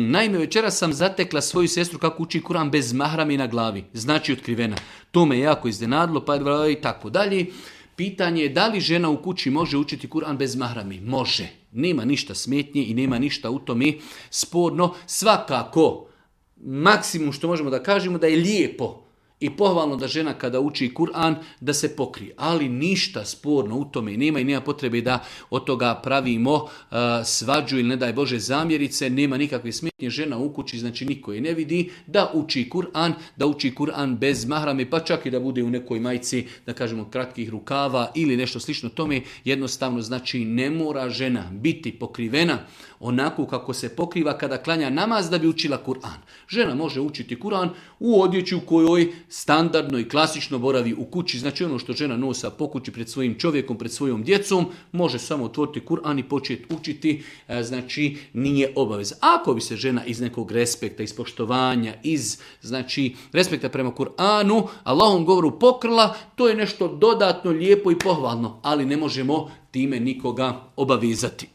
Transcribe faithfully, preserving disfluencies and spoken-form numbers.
naime, večeras sam zatekla svoju sestru kako uči Kur'an bez mahrami na glavi, znači otkrivena. To me jako iznenadilo, pa i tako dalje. Pitanje je da li žena u kući može učiti Kur'an bez mahrami? Može. Nema ništa smetnje i nema ništa u tome sporno. Svakako, maksimum što možemo da kažemo da je lijepo i pohvalno da žena kada uči Kur'an da se pokrije, ali ništa sporno u tome nema i nema potrebe da od toga pravimo uh, svađu ili ne daj Bože zamjerice, nema nikakve smetnje, žena u kući, znači niko je ne vidi, da uči Kur'an, da uči Kur'an bez mahrame, pa čak i da bude u nekoj majici, da kažemo kratkih rukava ili nešto slično tome, jednostavno znači ne mora žena biti pokrivena onako kako se pokriva kada klanja namaz da bi učila Kur'an. Žena može učiti Kur'an u odjeći u kojoj standardno i klasično boravi u kući, znači ono što žena nosa po kući pred svojim čovjekom, pred svojom djecom, može samo otvoriti Kur'an i početi učiti, znači nije obaveza. Ako bi se žena iz nekog respekta, iz poštovanja, iz znači respekta prema Kur'anu, Allahom govoru pokrila, to je nešto dodatno lijepo i pohvalno, ali ne možemo time nikoga obavezati.